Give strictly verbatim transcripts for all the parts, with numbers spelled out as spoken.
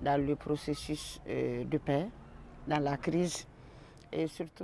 dans le processus de paix, dans la crise.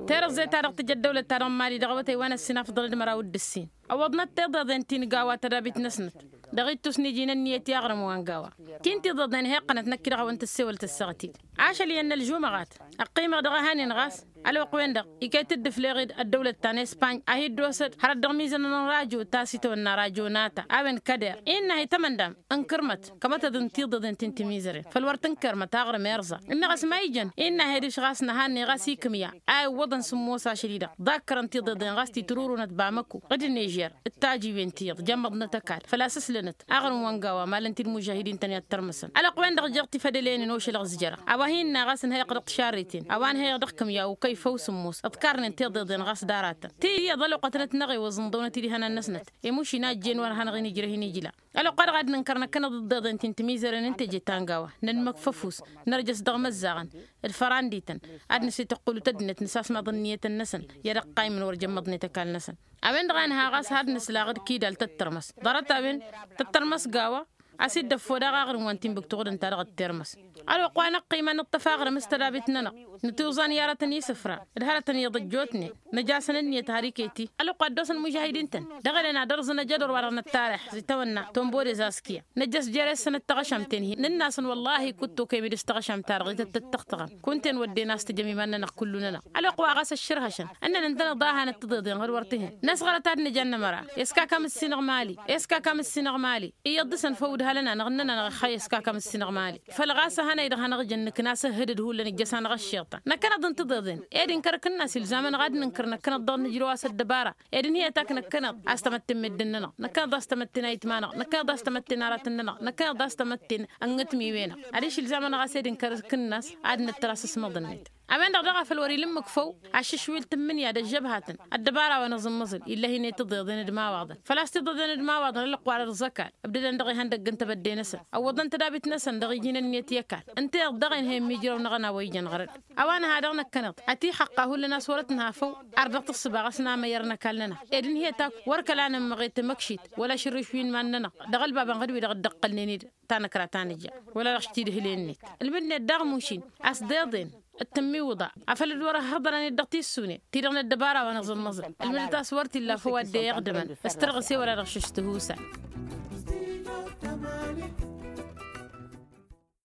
Tirǝẓẓe-ta-dăɣ tǝjja ăddăwlăt-ta-dăɣ n-mali dăɣ-awătay wa n-ăssin afḍăn d-măraw d-ǝssin. Ăwwăḍnăt tiḍeḍen ti n-gawa tădabit-năsnăt dăɣ-ittus n-iji n-ǝnniyăt i-aɣrǝm wa n-gawa. Ti n-tiḍeḍen heqqănăt năkk-i-dăɣ a-wa n-tǝssewăl tăssaɣăt-dd. Ašăl iyyăn n-ălžumăɣat ăqqimeɣ dăɣ-ehăn-in ɣas ălwăqq-wen-dăɣ ikayt-dd ǝfleɣ-dd ăddăwlăt ta n-españ a hi-dd-osăd hărăt dăɣ-mizănăn n-rajo ta s-itawănna rajo n-ata a-wen kăder innă a hi-tămăndam n-kărmăt kămătăḍ n-tiḍeḍen ti n-timizăren făll-wăr tǝnkărmăt aɣrǝm irẓa ǝnneɣ a-s ma ijăn innă a hi-dăɣ-s ɣas năhanne ɣas ikǝmya a iwwăḍăn sǝmmos ašăl-i-dăɣ ḍakkărăn tiḍeḍen ɣas titrurunăt bamăko d-ǝnnižer d-tajiwen tiyyăḍ jămmăḍnăt ăkall făl-a-s ǝslănăt aɣrǝm wa n-gawa malăn-t-dd mužahidin-tăn i-ad-tărmăsăn ălwăqq-wen-dăɣ jeɣ tifădălen-in ošălăɣ s-jăra a-wa hin-inna ɣas ǝnhăyăɣ dăɣ-tišarriten a-wa ǝnhăyăɣ dăɣ-kǝmya ukăy făw sǝmmos ǝḍkarnen tiḍeḍen ɣas d-aratăn tiyyăḍ ălwăqq a tănăt-năɣewăẓ ǝnḍăwnăt-dd ihănan-năsnăt i-mušin a ăjjeen wăr hanăɣ-in-ǝjrăh-in ijla. Ălwăqq-wa-dăɣ ad-nǝnkăr năkkăneḍ d-tiḍeḍen ti n-timizăren n-teje ta n-gawa nănmăkf ăfuss nărjăs dăɣ-imăzzaɣăn d-fărandităn ad-nǝsităqqǝlu tăddinăt nǝsasmaḍ ǝnniyătăn-năsăn i-ad-ăqqaymǝn wăr jămmăḍnet ăkall-năsăn. A-wen-dăɣ a nǝha ɣas ad-nǝslaɣ d-kidal tăt-tărmăs ḍarăt-a-wen tăt-tărmăs gawa a-s dd-ăffo daɣ aɣrǝm wa n-tinbǝk tuɣǝd ǝnta-dăɣ d-tirmăs. Ălwăqq wa năqqima nǝṭṭăf aɣrǝm s-tădabit-nănăɣ nǝtiwẓan i-aratăn isǝfra d-hărătăn iyyăḍ ăjjootnen năj'-asăn ǝnniyăt har iket-i ălwăqq wa dd-osăn mužahidin-tăn dăɣ-elen ad-ărẓǝn ăjădor-wa-dăɣ n-ăttarix zi tawănna tombore zaskiya năjjăs jer-e-săn d-taɣăšamt-en-hi nǝnn'-asăn wăllahi kud-tokăyăm-dd s-taɣăšamt-ta-dăɣ i-tăt-tăttăxtăɣăm kunta-en wădden a-s tǝjăm iman-nănăɣ kullu-nănăɣ. Ălwăqq wa ɣas ăššărhăšăn ǝnnăn ǝntăneḍ a hanăt tiḍeḍen ɣǝr wăr t-hăn năsɣărăt ad-nǝj'-ann ămăra. Eskak amǝssinăɣ mali eskak amǝssinăɣ mali iyyăḍ dăr-săn făw ǝdhalăn-anăɣ ǝnnăn-anăɣ ixxay eskak amǝssinăɣ mali. Făll-ɣas a hanăy-dăɣ hanăɣ-jăn nǝknas ǝhhǝdăd hullan ǝjjăs-anăɣ ăššiḍtan năkkăneḍ n-tiḍeḍen ed inkăr akǝnnas ilzam-anăɣ ad-nǝnkăr năkkăneḍ dăɣ-nǝjrăw a-s ăddăbara ed ǝnhǝyăt a k-năkkăneḍ a-s tamătte n-meddǝn-nănăɣ năkkăneḍ a-s tamătte n-ayǝtma-năɣ năkkăneḍ a-s tamătte n-aratăn-nănăɣ năkkăneḍ a-s tamătte n-ănnătmiwen-năɣ. Adiš ilzam-anăɣ a-s ed inkăr akǝnnas ad-nǝttăr asǝsmăḍ-net. A-wen-dăɣ daɣ a făl wăr-ila ǝmmǝk făw aššǝšwil tǝmmǝnǝya d-ăžžăbhatăn ăddăbara wa n-aẓǝmmăẓǝl ill'-e-hin i-tiḍeḍen d-imawaḍăn făl-a-s tiḍeḍen d-imawaḍăn ălwăqq wa dăr-s ăkall ǝbdădăn dăɣ-ihăndăgg n-tebădde-năsăn ăwwăḍăn tădabit-năsăn dăɣ-iji n-ǝnniyăt i-ăkall. Ǝnta-i-dăɣ dăɣ-e ǝnhăyăm ijrăw-năɣ ănawăy jăn ɣăr-dd a-wa nǝha dăɣ-năkkăneḍ ătiixăqqa hullan a-s wărăt nǝha făw ar dăɣ-tǝssǝba ɣas n-amăyăr n-ăkall-nănăɣ ed ǝnhǝyăt akk wăr kăla nǝmmăɣet măkšit wăla ašǝrrǝš wi n-iman-nănăɣ dăɣ-ălbabăn ɣǝd-wi-dăɣ dd-ǝqqălnen-dd tanăkra ta nǝja wăla dăɣ-s-t-dd-hǝlen-net. Ǝlmǝdnet daɣ mušin a-s d-iḍen d-tǝmmiwǝḍa afăl dd-wăr-ăhhăḍărăn-dd dăɣ-tissune ti-dăɣ n-ăddăbara wa n-aẓǝmmăẓǝl ǝlmǝdăt a-s wăr t-illa făw a dd-e-iɣdǝmăn s-tărɣǝse wăla dăɣ-šǝš tihusal.